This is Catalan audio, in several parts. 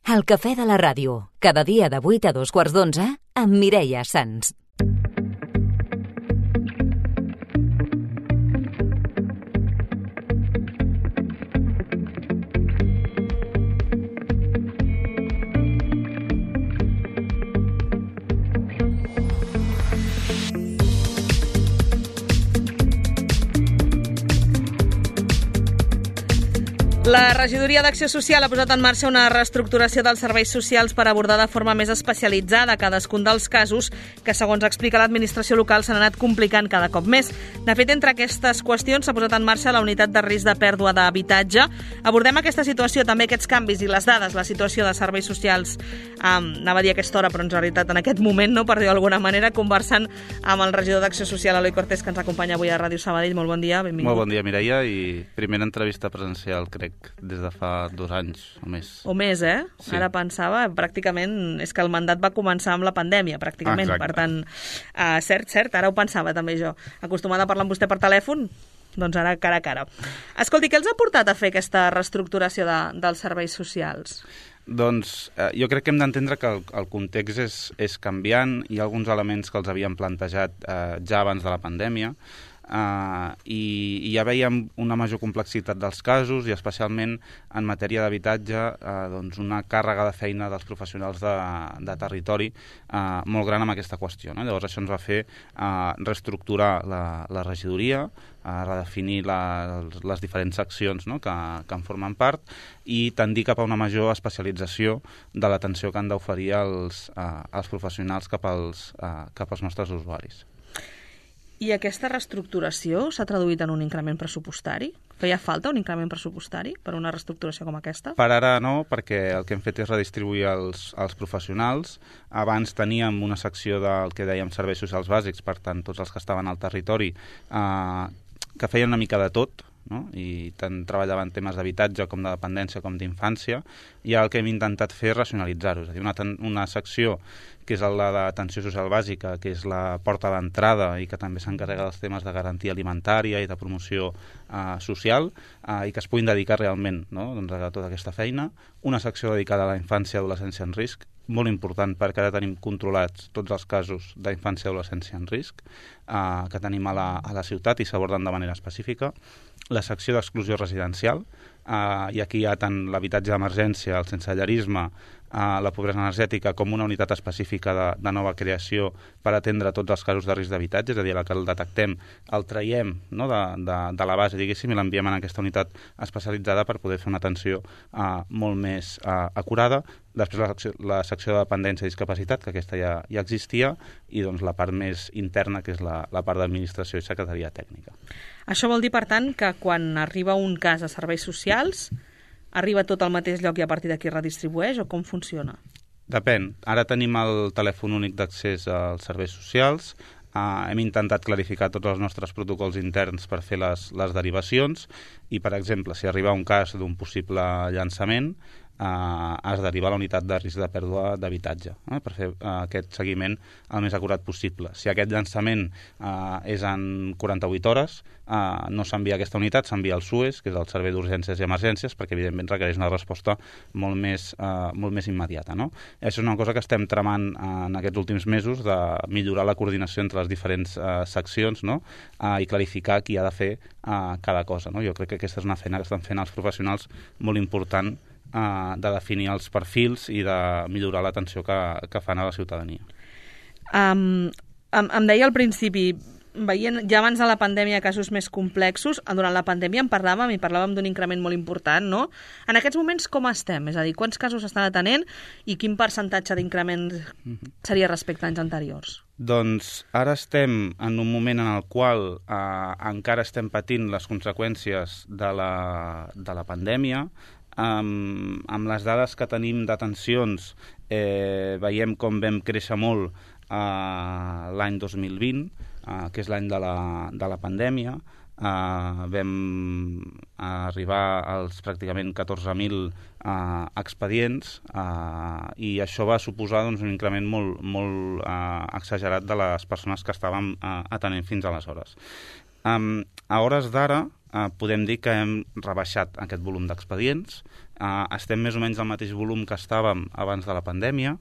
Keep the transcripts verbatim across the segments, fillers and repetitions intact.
El cafè de la ràdio, cada dia de vuit a dos quarts d'onze, amb Mireia Sans. La Regidoria d'Acció Social ha posat en marxa una reestructuració dels serveis socials per abordar de forma més especialitzada cadascun dels casos que, segons explica l'administració local, s'han anat complicant cada cop més. De fet, entre aquestes qüestions s'ha posat en marxa la unitat de risc de pèrdua d'habitatge. Abordem aquesta situació, també aquests canvis i les dades, la situació de serveis socials, um, anava a dir a aquesta hora, però en realitat en aquest moment, no, per dir d'alguna manera, conversant amb el regidor d'Acció Social, Eloi Cortés, que ens acompanya avui a Ràdio Sabadell. Molt bon dia, benvingut. Molt bon dia, Mireia, i primera entrevista presencial, crec, des de fa dos anys o més. O més, eh? Sí. Ara pensava, pràcticament, és que el mandat va començar amb la pandèmia, pràcticament. Exacte. Per tant, uh, cert, cert, ara ho pensava també jo. Acostumada a parlar amb vostè per telèfon, doncs ara cara a cara. Escolti, què els ha portat a fer aquesta reestructuració de, dels serveis socials? Doncs eh, jo crec que hem d'entendre que el, el context és, és canviant. Hi ha alguns elements que els havíem plantejat eh, ja abans de la pandèmia, Uh, i, i ja veiem una major complexitat dels casos i especialment en matèria d'habitatge uh, doncs una càrrega de feina dels professionals de, de territori uh, molt gran amb aquesta qüestió, no? Llavors això ens va fer uh, reestructurar la, la regidoria, uh, redefinir la, les diferents seccions, no? que, que en formen part, i tendir cap a una major especialització de l'atenció que han d'oferir els, uh, els professionals cap als, uh, cap als nostres usuaris. I aquesta reestructuració s'ha traduït en un increment pressupostari? Feia falta un increment pressupostari per una reestructuració com aquesta? Per ara no, perquè el que hem fet és redistribuir els, els professionals. Abans teníem una secció del que dèiem serveis socials bàsics, per tant, tots els que estaven al territori, eh, que feien una mica de tot, no? I tant treballaven temes d'habitatge com de dependència com d'infància, i el que hem intentat fer és racionalitzar-ho, és a dir, una, una secció que és la d'atenció social bàsica, que és la porta d'entrada i que també s'encarrega dels temes de garantia alimentària i de promoció eh, social, eh, i que es puguin dedicar realment, no? doncs, a tota aquesta feina. Una secció dedicada a la infància i adolescència en risc, molt important perquè ara tenim controlats tots els casos d'infància i adolescència en risc eh, que tenim a la, a la ciutat i s'aborden de manera específica. La secció d'exclusió residencial, eh, i aquí hi ha tant l'habitatge d'emergència, el sensellarisme, Uh, la pobresa energètica com una unitat específica de, de nova creació per atendre tots els casos de risc d'habitatge, és a dir, la que el detectem, el traiem, no, de, de, de la base, diguéssim, i l'enviem en aquesta unitat especialitzada per poder fer una atenció uh, molt més uh, acurada. Després la secció, la secció de dependència i discapacitat, que aquesta ja, ja existia, i doncs la part més interna, que és la, la part d'administració i secretaria tècnica. Això vol dir, per tant, que quan arriba un cas a serveis socials arriba tot al mateix lloc i a partir d'aquí redistribueix, o com funciona? Depèn. Ara tenim el telèfon únic d'accés als serveis socials. Uh, hem intentat clarificar tots els nostres protocols interns per fer les, les derivacions i, per exemple, si arriba un cas d'un possible llançament, Uh, es deriva a la unitat de risc de pèrdua d'habitatge eh, per fer uh, aquest seguiment el més acurat possible. Si aquest llançament uh, és en quaranta-vuit hores, uh, no s'envia a aquesta unitat, s'envia al S U E S, que és el Servei d'Urgències i Emergències, perquè evidentment requereix una resposta molt més, uh, molt més immediata. No? Això és una cosa que estem tramant uh, en aquests últims mesos, de millorar la coordinació entre les diferents uh, seccions, no? uh, i clarificar qui ha de fer uh, cada cosa. No? Jo crec que aquesta és una feina que estan fent els professionals molt important, Uh, de definir els perfils i de millorar l'atenció que, que fan a la ciutadania. Um, em, em deia al principi, veient ja abans de la pandèmia casos més complexos, durant la pandèmia en parlàvem i parlàvem d'un increment molt important, no? En aquests moments com estem? És a dir, quants casos estan atenent i quin percentatge d'increment seria respecte a anys anteriors? Doncs ara estem en un moment en el qual eh, encara estem patint les conseqüències de la, de la pandèmia. Um, amb les dades que tenim d'atencions eh, veiem com vam créixer molt uh, l'any dos mil vint, uh, que és l'any de, la, de la pandèmia. Uh, vam arribar als pràcticament catorze mil uh, expedients uh, i això va suposar doncs, un increment molt, molt uh, exagerat de les persones que estàvem uh, atenent fins aleshores. Um, a hores d'ara, eh, podem dir que hem rebaixat aquest volum d'expedients, eh, estem més o menys al mateix volum que estàvem abans de la pandèmia.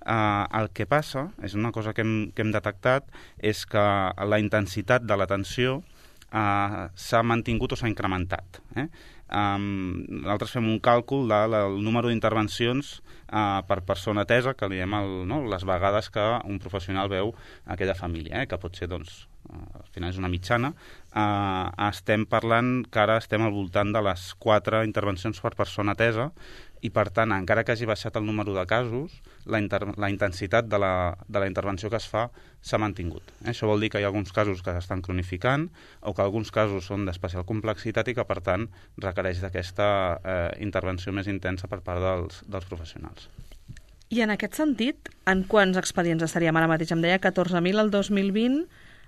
Eh, el que passa, és una cosa que hem, que hem detectat, és que la intensitat de l'atenció eh, s'ha mantingut o s'ha incrementat. Eh? Um, nosaltres fem un càlcul del de, número d'intervencions uh, per persona atesa, que li diem el, no, les vegades que un professional veu aquella família, eh, que pot ser, doncs, uh, al final és una mitjana. Uh, estem parlant que ara estem al voltant de les quatre intervencions per persona atesa, i per tant, encara que hagi baixat el número de casos, la, inter la intensitat de la, de la intervenció que es fa s'ha mantingut. Eh? Això vol dir que hi ha alguns casos que s'estan cronificant o que alguns casos són d'especial complexitat i que, per tant, requereix d'aquesta eh, intervenció més intensa per part dels, dels professionals. I en aquest sentit, en quants expedients estaríem ara mateix? Em deia catorze mil el dos mil vint,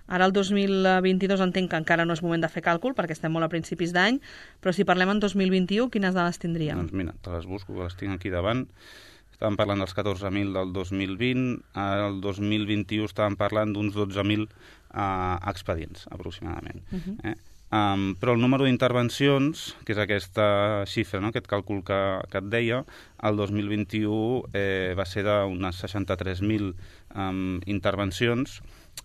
ara el dos mil vint-i-dos entenc que encara no és moment de fer càlcul perquè estem molt a principis d'any, però si parlem en dos mil vint-i-u, quines dades tindríem? Doncs mira, te les busco, que les tinc aquí davant. Estàvem parlant dels catorze mil del dos mil vint, ara el dos mil vint-i-u estàvem parlant d'uns dotze mil eh, expedients, aproximadament. Uh -huh. eh? Um, però el número d'intervencions, que és aquesta xifra, no? Aquest càlcul que, que et deia, el dos mil vint-i-u eh, va ser d'unes seixanta-tres mil um, intervencions,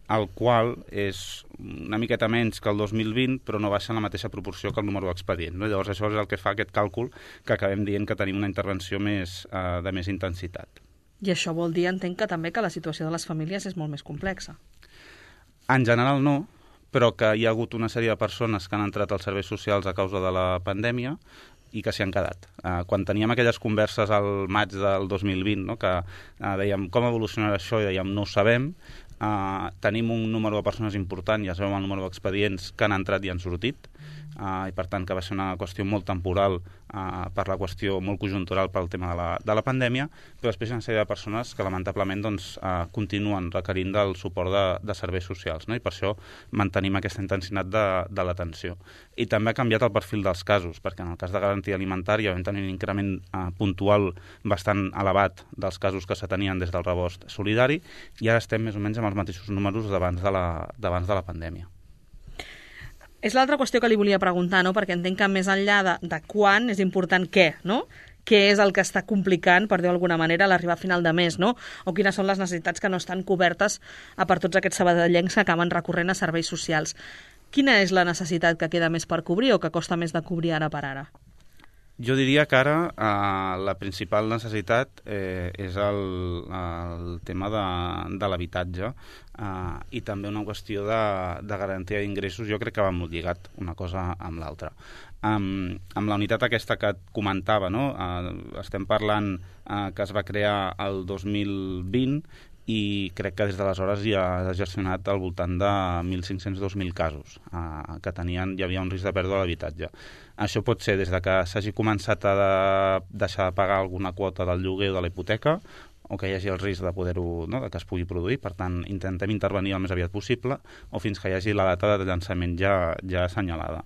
el qual és una miqueta menys que el dos mil vint, però no baixa en la mateixa proporció que el número d'expedients. No? Llavors això és el que fa aquest càlcul que acabem dient que tenim una intervenció més, eh, de més intensitat. I això vol dir, entenc, que també que la situació de les famílies és molt més complexa. En general no, però que hi ha hagut una sèrie de persones que han entrat als serveis socials a causa de la pandèmia i que s'hi han quedat. Uh, quan teníem aquelles converses al maig del dos mil vint, no? que uh, dèiem com evolucionarà això, i dèiem no ho sabem, uh, tenim un número de persones important, ja sabem el número d'expedients que han entrat i han sortit, uh, i per tant que va ser una qüestió molt temporal uh, per la qüestió molt conjuntural pel tema de la, de la pandèmia, però després hi ha una sèrie de persones que lamentablement doncs, uh, continuen requerint del suport de, de serveis socials, no? I per això mantenim aquesta intensitat de, de l'atenció. I també ha canviat el perfil dels casos, perquè en el cas de garantia alimentària vam tenir un increment uh, puntual bastant elevat dels casos que s'atenien des del rebost solidari, i ara estem més o menys amb els mateixos números d'abans de, la, d'abans de la pandèmia. És l'altra qüestió que li volia preguntar, no? Perquè entenc que més enllà de, de quan és important què, no? Què és el que està complicant, per dir d'alguna manera, l'arribar a final de mes, no? O quines són les necessitats que no estan cobertes a per tots aquests sabadellencs que acaben recorrent a serveis socials. Quina és la necessitat que queda més per cobrir o que costa més de cobrir ara per ara? Jo diria que ara eh, la principal necessitat eh, és el, el tema de, de l'habitatge eh, i també una qüestió de, de garantia d'ingressos. Jo crec que va molt lligat una cosa amb l'altra. Um, amb la unitat aquesta que et comentava, no? uh, estem parlant uh, que es va crear el dos mil vint i crec que des d'aleshores ja ha gestionat al voltant de mil cinc-cents a dos mil casos uh, que tenien, hi havia un risc de pèrdua d'habitatge. Això pot ser des de que s'hagi començat a de deixar de pagar alguna quota del lloguer o de la hipoteca, o que hi hagi el risc de poder-ho, no? de que es pugui produir, per tant intentem intervenir el més aviat possible, o fins que hi hagi la data de llançament ja, ja assenyalada.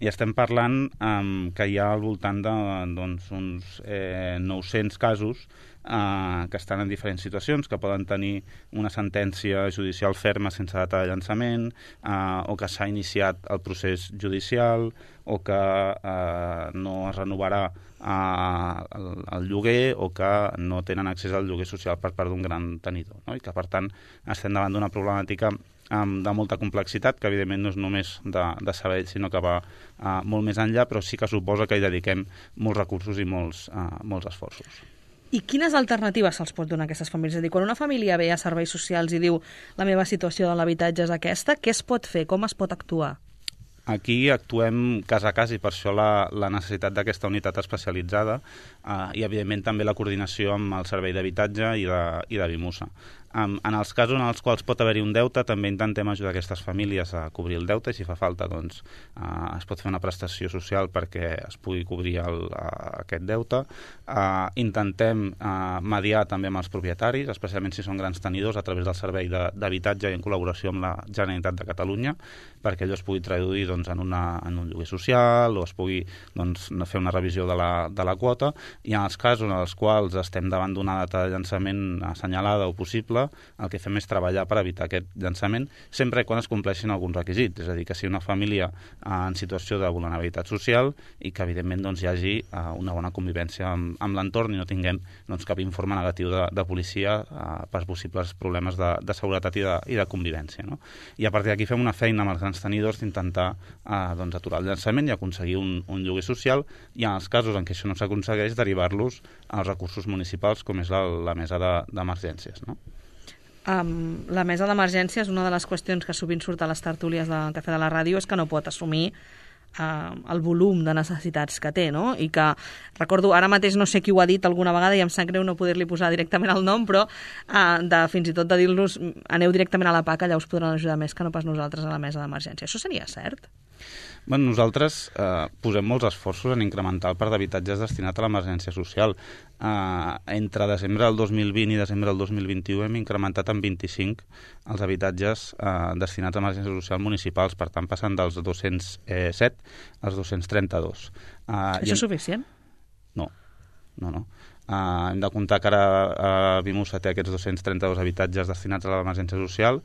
I estem parlant um, que hi ha al voltant de doncs, uns eh, nou-cents casos eh, que estan en diferents situacions, que poden tenir una sentència judicial ferma sense data de llançament, eh, o que s'ha iniciat el procés judicial, o que eh, no es renovarà eh, el, el lloguer, o que no tenen accés al lloguer social per part d'un gran tenidor, no? I que, per tant, estem davant d'una problemàtica de molta complexitat, que evidentment no és només de, de saber, sinó que va uh, molt més enllà, però sí que suposa que hi dediquem molts recursos i molts, uh, molts esforços. I quines alternatives se'ls pot donar a aquestes famílies? És a dir, quan una família ve a serveis socials i diu la meva situació de l'habitatge és aquesta, què es pot fer? Com es pot actuar? Aquí actuem cas a cas i per això la, la necessitat d'aquesta unitat especialitzada eh, i, evidentment, també la coordinació amb el servei d'habitatge i de, i de Vimusa. Um, en els casos en els quals pot haver-hi un deute, també intentem ajudar aquestes famílies a cobrir el deute i, si fa falta, doncs, uh, es pot fer una prestació social perquè es pugui cobrir el, uh, aquest deute. Uh, intentem uh, mediar també amb els propietaris, especialment si són grans tenidors, a través del servei d'habitatge i en col·laboració amb la Generalitat de Catalunya, perquè allò es pugui traduir, doncs, doncs, en, una, en un lloguer social o es pugui doncs, fer una revisió de la, de la quota, i en els casos en els quals estem davant d'una data de llançament assenyalada o possible, el que fem és treballar per evitar aquest llançament, sempre quan es compleixin alguns requisits, és a dir, que si una família en situació de vulnerabilitat social i que evidentment doncs, hi hagi uh, una bona convivència amb, amb l'entorn i no tinguem doncs, cap informe negatiu de, de policia uh, per possibles problemes de, de seguretat i de, i de convivència. No? I a partir d'aquí fem una feina amb els grans tenidors d'intentar uh, doncs, aturar el llançament i aconseguir un, un lloguer social, i en els casos en què això no s'aconsegueix, derivar-los als recursos municipals, com és la, la mesa d'emergències. De, no? Um, la mesa d'emergències, una de les qüestions que sovint surt a les tertúlies del Cafè de la Ràdio és que no pot assumir Uh, el volum de necessitats que té, no? I que, recordo, ara mateix no sé qui ho ha dit alguna vegada i em sap greu no poder-li posar directament el nom, però uh, de, fins i tot de dir-los aneu directament a la P A C, allà us podran ajudar més que no pas nosaltres a la mesa d'emergència. Això seria cert? Bueno, nosaltres eh, posem molts esforços en incrementar el parc d'habitatges destinat a l'emergència social. Eh, entre desembre del dos mil vint i desembre del dos mil vint-i-u hem incrementat en vint-i-cinc els habitatges eh, destinats a emergència social municipals, per tant passant dels dos-cents set als dos-cents trenta-dos. Eh, Això és suficient? No, no, no. Uh, hem de comptar que ara uh, Vimusa té aquests dos-cents trenta-dos habitatges destinats a l'emergència social.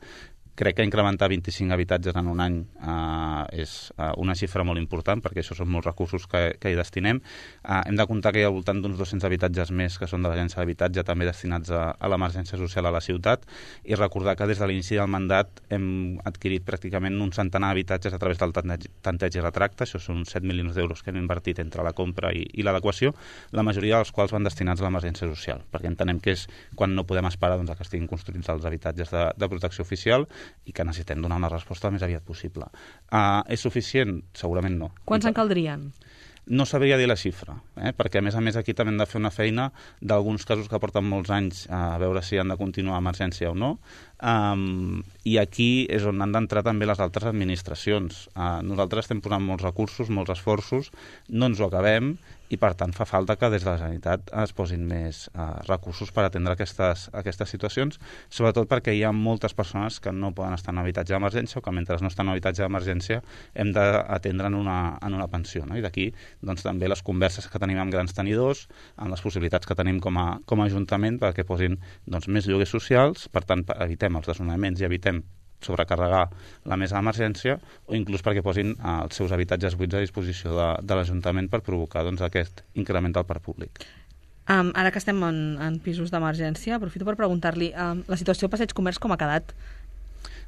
Crec que incrementar vint-i-cinc habitatges en un any uh, és uh, una xifra molt important, perquè això són molts recursos que, que hi destinem. Uh, hem de comptar que hi ha al voltant d'uns dos-cents habitatges més que són de l'Agència d'Habitatge, també destinats a, a l'emergència social a la ciutat, i recordar que des de l'inici del mandat hem adquirit pràcticament un centenar d'habitatges a través del tanteig i retracte. Això són set milions d'euros que hem invertit entre la compra i, i l'adequació, la majoria dels quals van destinats a l'emergència social, perquè entenem que és quan no podem esperar doncs, que estiguin construïts els habitatges de, de protecció oficial i que necessitem donar una resposta el més aviat possible. Uh, és suficient? Segurament no. Quants en caldrien? No sabria dir la xifra, eh? perquè a més a més aquí també hem de fer una feina d'alguns casos que porten molts anys a veure si han de continuar a emergència o no, um, i aquí és on han d'entrar també les altres administracions. Uh, nosaltres estem posant molts recursos, molts esforços, no ens ho acabem, i per tant fa falta que des de la Generalitat es posin més uh, recursos per atendre aquestes, aquestes situacions, sobretot perquè hi ha moltes persones que no poden estar en habitatge d'emergència o que mentre no estan en habitatge d'emergència hem d'atendre en una, en una pensió. No? I d'aquí doncs, també les converses que tenim amb grans tenidors, amb les possibilitats que tenim com a, com a Ajuntament perquè posin doncs, més lloguers socials, per tant evitem els desnonaments i evitem sobrecarregar la mesa d'emergència, o inclús perquè posin eh, els seus habitatges buits a disposició de, de l'Ajuntament per provocar doncs, aquest increment del parc públic. Um, ara que estem en, en pisos d'emergència, aprofito per preguntar-li um, la situació al Passeig Comerç com ha quedat?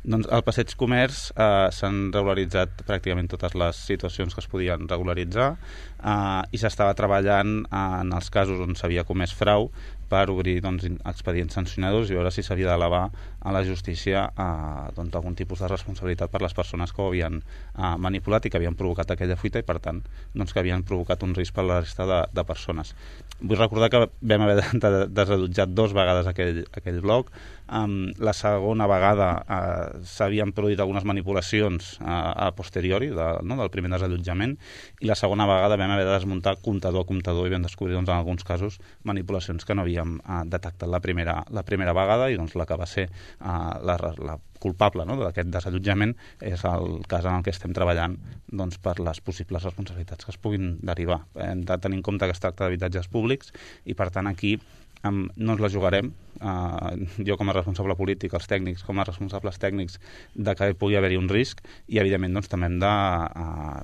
Doncs al Passeig Comerç eh, s'han regularitzat pràcticament totes les situacions que es podien regularitzar eh, i s'estava treballant eh, en els casos on s'havia comès frau per obrir doncs, expedients sancionadors i veure si s'havia d'elevar a la justícia eh, doncs, algun tipus de responsabilitat per les persones que ho havien eh, manipulat i que havien provocat aquella fuita i, per tant, doncs, que havien provocat un risc per a la resta de, de persones. Vull recordar que vam haver de, de desallotjar dos vegades aquell, aquell bloc. Um, la segona vegada uh, s'havien produït algunes manipulacions uh, a posteriori de, no, del primer desallotjament, i la segona vegada vam haver de desmuntar comptador a comptador i vam descobrir doncs, en alguns casos manipulacions que no havíem uh, detectat la primera, la primera vegada, i doncs, la que va ser uh, la, la culpable, no, d'aquest desallotjament és el cas en el que estem treballant doncs, per les possibles responsabilitats que es puguin derivar. Hem de tenir en compte que es tracta d'habitatges públics i, per tant, aquí um, no ens la jugarem. Uh, jo com a responsable polític, els tècnics com a responsables tècnics, de que pugui haver-hi un risc, i evidentment doncs, també hem de uh,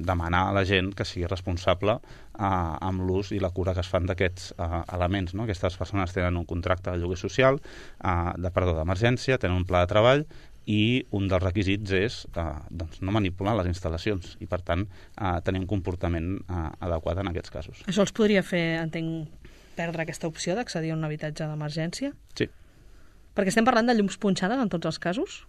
demanar a la gent que sigui responsable uh, amb l'ús i la cura que es fan d'aquests uh, elements. No? Aquestes persones tenen un contracte de lloguer social, uh, de perdó d'emergència, tenen un pla de treball, i un dels requisits és uh, doncs, no manipular les instal·lacions i, per tant, uh, tenir un comportament uh, adequat en aquests casos. Això els podria fer, entenc, perdre aquesta opció d'accedir a un habitatge d'emergència? Sí. Perquè estem parlant de llums punxades en tots els casos?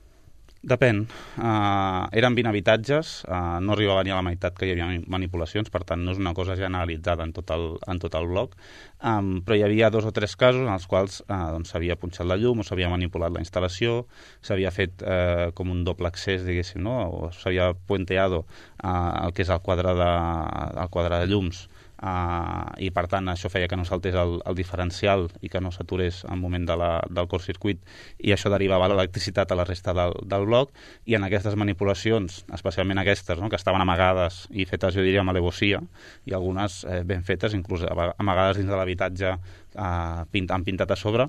Depèn. Uh, eren vint habitatges, uh, no arribava ni a la meitat que hi havia manipulacions, per tant no és una cosa generalitzada en tot el, en tot el bloc, um, però hi havia dos o tres casos en els quals uh, doncs, s'havia punxat la llum o s'havia manipulat la instal·lació, s'havia fet uh, com un doble accés, diguéssim, no? O s'havia puenteado uh, el que és el quadre de, el quadre de llums uh, i per tant això feia que no saltés el, el diferencial i que no s'aturés al moment de la, del curtcircuit, i això derivava l'electricitat a la resta del, del bloc, i en aquestes manipulacions, especialment aquestes, no?, que estaven amagades i fetes, jo diria, amb alevosia, i algunes eh, ben fetes, inclús amagades dins de l'habitatge, eh, pint, han pintat a sobre,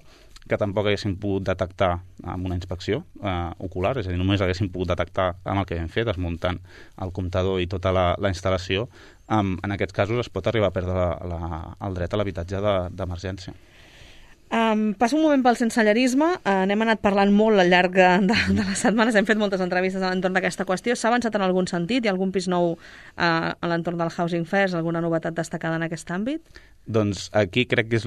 que tampoc haguéssim pogut detectar amb una inspecció eh, ocular, és a dir, només haguéssim pogut detectar amb el que vam fer, desmuntant el comptador i tota la, la instal·lació. Um, en aquests casos es pot arribar a perdre la, la, el dret a l'habitatge d'emergència. Um, passo un moment pel sensellerisme. Uh, n'hem anat parlant molt al llarg de, de les setmanes, hem fet moltes entrevistes a l'entorn d'aquesta qüestió. S'ha avançat en algun sentit? Hi ha algun pis nou uh, a l'entorn del Housing First? Alguna novetat destacada en aquest àmbit? Doncs aquí crec que és,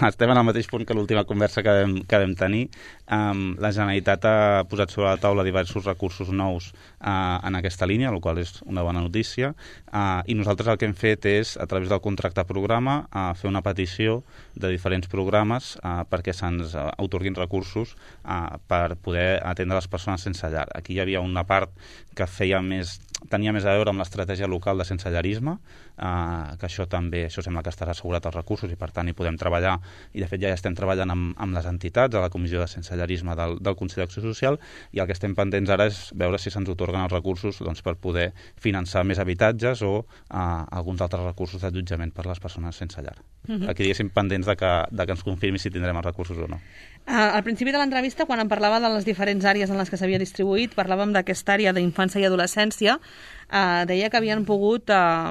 estem en el mateix punt que l'última conversa que vam, que vam tenir. Um, la Generalitat ha posat sobre la taula diversos recursos nous uh, en aquesta línia, el qual és una bona notícia, uh, i nosaltres el que hem fet és, a través del contracte programa, uh, fer una petició de diferents programes uh, perquè se'ns uh, atorguin recursos uh, per poder atendre les persones sense llar. Aquí hi havia una part que feia més, tenia més a veure amb l'estratègia local de sensellarisme, uh, que això també, això sembla que estarà assegurat els recursos i per tant hi podem treballar, i de fet ja estem treballant amb, amb les entitats, a la Comissió de Sensellarisme del, del Consell d'Acció Social, i el que estem pendents ara és veure si se'ns atorguen els recursos, doncs, per poder finançar més habitatges o uh, alguns altres recursos d'allotjament per a les persones sense llar. Uh-huh. Aquí diguéssim pendents de que, de que ens confirmi si tindrem els recursos o no. Uh, al principi de l'entrevista, quan em parlava de les diferents àrees en les que s'havia distribuït, parlàvem d'aquesta àrea d'infància i adolescència, uh, deia que havien pogut uh,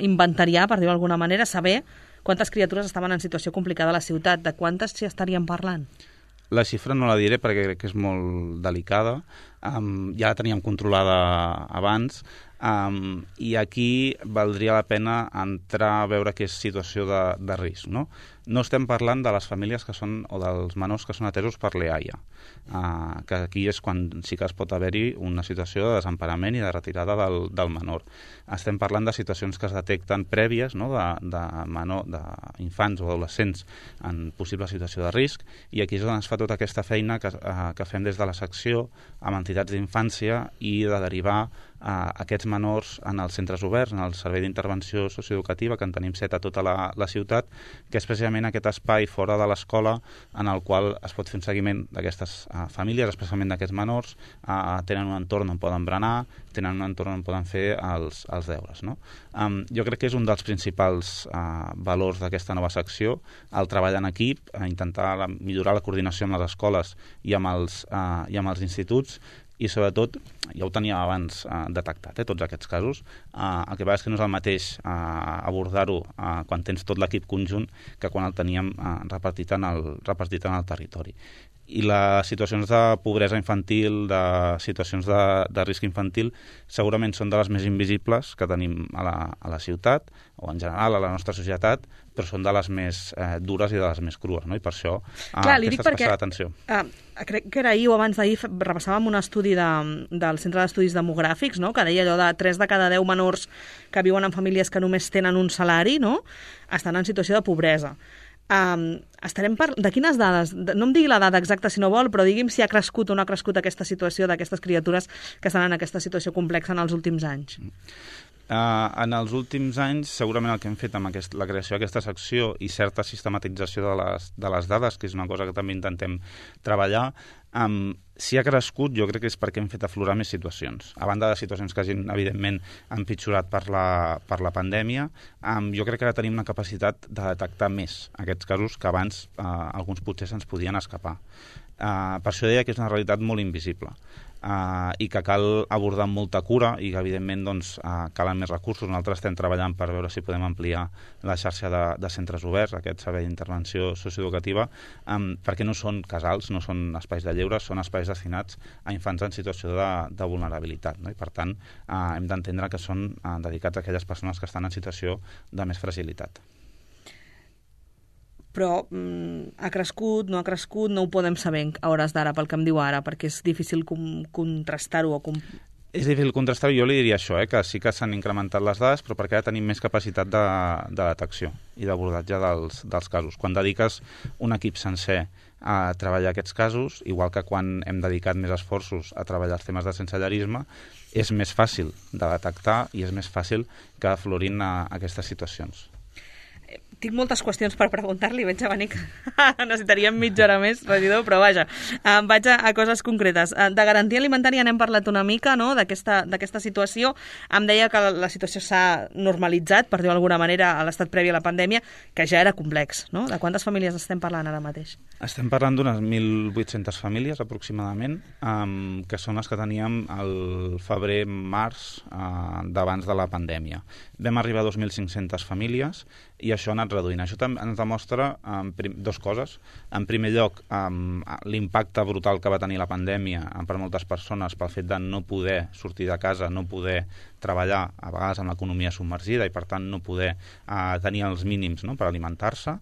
inventariar, per dir-ho d'alguna manera, saber quantes criatures estaven en situació complicada a la ciutat. De quantes s'hi estaríem parlant? La xifra no la diré perquè crec que és molt delicada. Um, ja la teníem controlada abans, um, i aquí valdria la pena entrar a veure què és situació de, de risc, no? No estem parlant de les famílies que són, o dels menors que són atesos per l'E A I A, uh, que aquí és quan sí que es pot haver-hi una situació de desemparament i de retirada del, del menor. Estem parlant de situacions que es detecten prèvies, no?, de, de menor, d'infants o adolescents en possible situació de risc, i aquí és on es fa tota aquesta feina que, uh, que fem des de la secció amb entitats d'infància i de derivar a aquests menors en els centres oberts, en el servei d'intervenció socioeducativa, que en tenim set a tota la, la ciutat, que és precisament aquest espai fora de l'escola en el qual es pot fer un seguiment d'aquestes uh, famílies, especialment d'aquests menors, uh, tenen un entorn on poden berenar, tenen un entorn on poden fer els, els deures, no? Um, jo crec que és un dels principals uh, valors d'aquesta nova secció, el treball en equip, uh, intentar la, millorar la coordinació amb les escoles i amb els, uh, i amb els instituts, i sobretot, ja ho teníem abans eh, detectat, eh, tots aquests casos, eh, el que passa és que no és el mateix eh, abordar-ho eh, quan tens tot l'equip conjunt que quan el teníem eh, repartit, en el, repartit en el territori. I les situacions de pobresa infantil, de situacions de, de risc infantil, segurament són de les més invisibles que tenim a la, a la ciutat, o en general a la nostra societat, però són de les més eh, dures i de les més crues, no? I per això eh, Clar, li dic aquesta perquè, especial atenció. Uh, crec que era ahir o abans d'ahir repassàvem un estudi de, del Centre d'Estudis Demogràfics, no?, que deia allò de tres de cada deu menors que viuen en famílies que només tenen un salari, no?, estan en situació de pobresa. Um, estarem par... De quines dades? No em digui la dada exacta si no vol, però digui'm si ha crescut o no ha crescut aquesta situació d'aquestes criatures que estan en aquesta situació complexa en els últims anys. Uh, en els últims anys, segurament el que hem fet amb aquest, la creació d'aquesta secció i certa sistematització de les, de les dades, que és una cosa que també intentem treballar, um, si ha crescut, jo crec que és perquè hem fet aflorar més situacions. A banda de situacions que hagin, evidentment, empitjorat per la, per la pandèmia, um, jo crec que ara tenim una capacitat de detectar més aquests casos que abans uh, alguns potser se'ns podien escapar. Uh, per això deia que és una realitat molt invisible. Uh, i que cal abordar amb molta cura i que evidentment doncs, uh, calen més recursos. Nosaltres estem treballant per veure si podem ampliar la xarxa de, de centres oberts, aquest servei d'intervenció socioeducativa, um, perquè no són casals, no són espais de lleure, són espais destinats a infants en situació de, de vulnerabilitat, no? I per tant uh, hem d'entendre que són uh, dedicats a aquelles persones que estan en situació de més fragilitat. Però mm, ha crescut, no ha crescut, no ho podem saber a hores d'ara, pel que em diu ara, perquè és difícil com, contrastar-ho. O com... És difícil contrastar-ho, jo li diria això, eh, que sí que s'han incrementat les dades, però perquè ara tenim més capacitat de, de detecció i d'abordatge dels, dels casos. Quan dediques un equip sencer a treballar aquests casos, igual que quan hem dedicat més esforços a treballar els temes de sensellarisme, és més fàcil de detectar i és més fàcil que aflorin a, a aquestes situacions. Tinc moltes qüestions per preguntar-li, veig a venir que necessitaríem mitja hora més, regidor, però vaja, em vaig a, a coses concretes. De garantia alimentària n'hem parlat una mica, no?, d'aquesta d'aquesta situació. Em deia que la situació s'ha normalitzat, per dir-ho d'alguna manera, a l'estat previ a la pandèmia, que ja era complex, no? De quantes famílies estem parlant ara mateix? Estem parlant d'unes mil vuit-centes famílies, aproximadament, um, que són les que teníem el febrer-març uh, d'abans de la pandèmia. Vam arribar a dos mil cinc-centes famílies i això ha anat reduint. Això també ens demostra um, dues coses. En primer lloc, um, l'impacte brutal que va tenir la pandèmia um, per moltes persones pel fet de no poder sortir de casa, no poder treballar, a vegades amb l'economia submergida i, per tant, no poder uh, tenir els mínims, no?, per alimentar-se.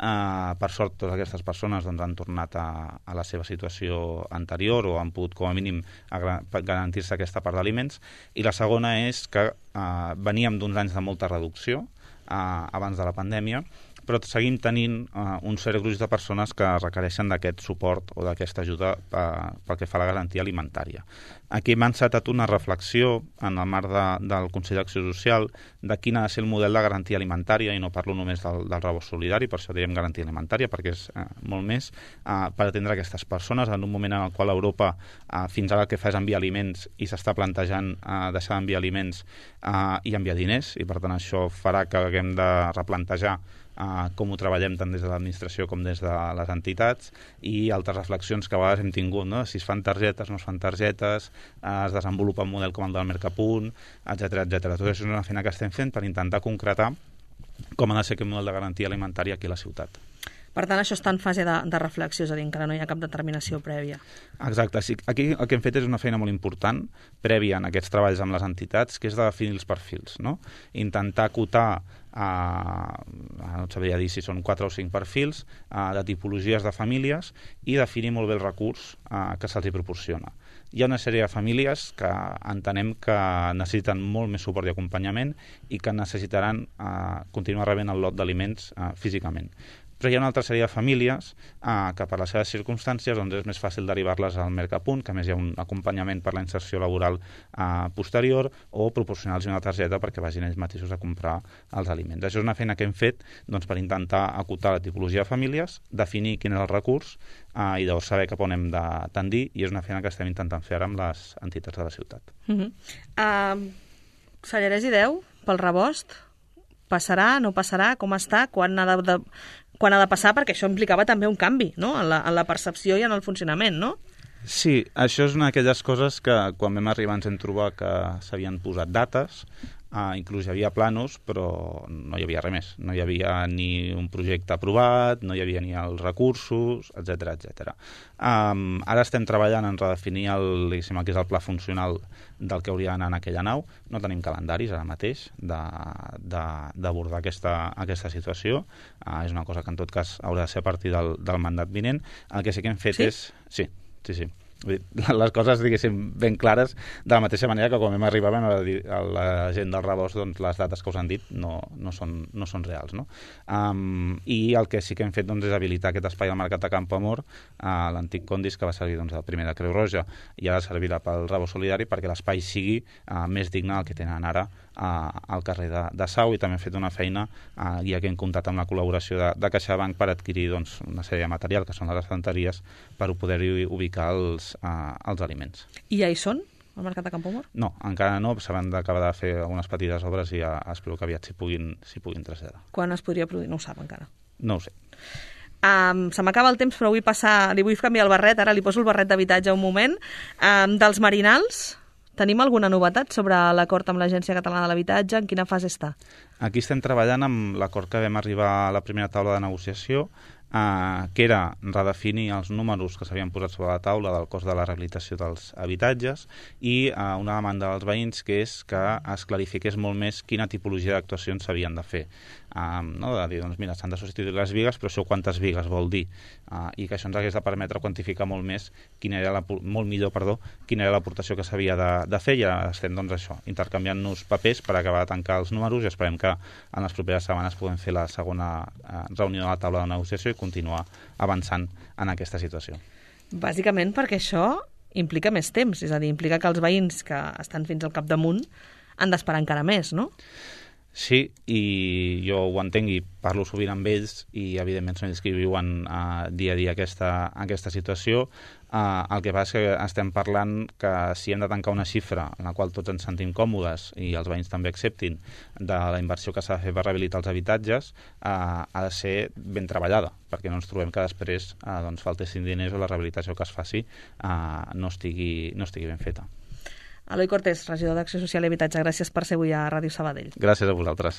Uh, per sort, totes aquestes persones doncs, han tornat a, a la seva situació anterior o han pogut, com a mínim, a garantir-se aquesta part d'aliments. I la segona és que uh, veníem d'uns anys de molta reducció uh, abans de la pandèmia, però seguim tenint uh, un cert gruix de persones que requereixen d'aquest suport o d'aquesta ajuda uh, pel que fa a la garantia alimentària. Aquí m'ha encetat una reflexió en el marc de, del Consell d'Acció Social de quin ha de ser el model de garantia alimentària, i no parlo només del, del rebost solidari, per això diem garantia alimentària, perquè és uh, molt més uh, per atendre aquestes persones en un moment en el qual Europa uh, fins ara el que fa és enviar aliments i s'està plantejant uh, deixar d'enviar aliments uh, i enviar diners, i per tant això farà que haguem de replantejar Uh, com ho treballem tant des de l'administració com des de les entitats, i altres reflexions que a vegades hem tingut, no?, si es fan targetes, no es fan targetes, uh, es desenvolupa un model com el del Mercapunt, etcètera, etcètera. Tot això és una feina que estem fent per intentar concretar com ha de ser aquest model de garantia alimentària aquí a la ciutat. Per tant, això està en fase de, de reflexió, és a dir, encara no hi ha cap determinació prèvia. Exacte. Sí, aquí el que hem fet és una feina molt important, prèvia en aquests treballs amb les entitats, que és de definir els perfils, no? Intentar acotar, uh, no et sabria dir si són quatre o cinc perfils, uh, de tipologies de famílies, i definir molt bé el recurs uh, que se'ls hi proporciona. Hi ha una sèrie de famílies que entenem que necessiten molt més suport i acompanyament i que necessitaran uh, continuar rebent el lot d'aliments uh, físicament. Però hi ha una altra sèrie de famílies eh, que per les seves circumstàncies doncs, és més fàcil derivar-les al Mercapunt, que a més hi ha un acompanyament per la inserció laboral eh, posterior, o proporcionar-los una targeta perquè vagin ells mateixos a comprar els aliments. Això és una feina que hem fet doncs, per intentar acotar la tipologia de famílies, definir quin és el recurs eh, i llavors saber cap on hem de tendir, i és una feina que estem intentant fer ara amb les entitats de la ciutat. Uh-huh. uh, Sallarès i Deu, pel rebost, passarà, no passarà, com està, quan ha de, de, quan ha de passar, perquè això implicava també un canvi, no?, en la, en la percepció i en el funcionament, no? Sí, això és una d'aquelles coses que quan vam arribar ens hem trobat que s'havien posat dates, Uh, inclús hi havia planos, però no hi havia res més. No hi havia ni un projecte aprovat, no hi havia ni els recursos, etcètera, etcètera. Um, ara estem treballant en redefinir el, el que és el pla funcional del que hauria d'anar en aquella nau. No tenim calendaris ara mateix d'abordar aquesta, aquesta situació. Uh, és una cosa que en tot cas haurà de ser a partir del, del mandat vinent. El que sí que hem fet sí? és... Sí, sí, sí. Les coses, diguéssim, ben clares, de la mateixa manera que quan vam arribar a la gent del rebost, doncs les dates que us han dit no, no, són, no són reals, no? Um, I el que sí que hem fet doncs, és habilitar aquest espai al Mercat de Campoamor, a l'antic Condis, que va servir doncs, el primer de Creu Roja, i ara servirà pel rebost solidari perquè l'espai sigui uh, més digne del que tenen ara uh, al carrer de, de Sau, i també hem fet una feina, uh, ja que hem comptat amb la col·laboració de, de CaixaBank per adquirir doncs, una sèrie de material, que són les estanteries, per poder-hi ubicar els Uh, els aliments. I ja hi són, al Mercat de Campoamor? No, encara no, s'han d'acabar de fer algunes petites obres i ja espero que aviat s'hi puguin, s'hi puguin traslladar. Quan es podria produir? No ho sap encara. No ho sé. Um, se m'acaba el temps, però vull passar, li vull canviar el barret, ara li poso el barret d'habitatge un moment. Um, dels Marinals, tenim alguna novetat sobre l'acord amb l'Agència Catalana de l'Habitatge? En quina fase està? Aquí estem treballant amb l'acord que vam arribar a la primera taula de negociació, Uh, que era redefinir els números que s'havien posat sobre la taula del cost de la rehabilitació dels habitatges, i uh, una demanda dels veïns, que és que es clarifiqués molt més quina tipologia d'actuacions s'havien de fer. Um, no? De dir, doncs mira, s'han de substituir les bigues, però això quantes bigues vol dir? Uh, I que això ens hagués de permetre quantificar molt més quina era la, molt millor, perdó, quina era l'aportació que s'havia de, de fer, i ara estem doncs això, intercanviant-nos papers per acabar de tancar els números, i esperem que en les properes setmanes puguem fer la segona uh, reunió de la taula de negociació i continuar avançant en aquesta situació. Bàsicament perquè això implica més temps, és a dir, implica que els veïns que estan fins al capdamunt han d'esperar encara més, no? Sí, i jo ho entenc i parlo sovint amb ells i evidentment són ells que viuen uh, dia a dia aquesta, aquesta situació. Uh, el que passa és que estem parlant que si hem de tancar una xifra en la qual tots ens sentim còmodes i els veïns també acceptin de la inversió que s'ha de fer per rehabilitar els habitatges, uh, ha de ser ben treballada, perquè no ens trobem que després uh, doncs, faltessin diners o la rehabilitació que es faci uh, no, estigui, no estigui ben feta. Eloi Cortés, regidor d'Acció Social i Habitatge, gràcies per ser avui a Ràdio Sabadell. Gràcies a vosaltres.